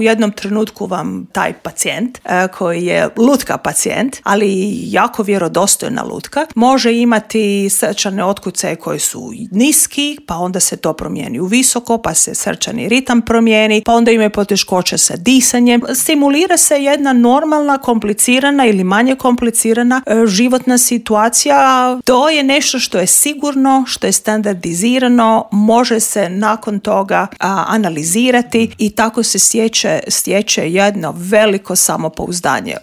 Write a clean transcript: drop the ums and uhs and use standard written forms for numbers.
U jednom trenutku vam taj pacijent, koji je lutka pacijent, ali jako vjerodostojna lutka, može imati srčane otkucaje koji su niski, pa onda se to promijeni u visoko, pa se srčani ritam promijeni, pa onda imaju poteškoće sa disanjem. Stimulira se jedna normalna, komplicirana ili manje komplicirana životna situacija. To je nešto što je sigurno, što je standardizirano, može se nakon toga analizirati i tako se stječe jedno veliko samopouzdanje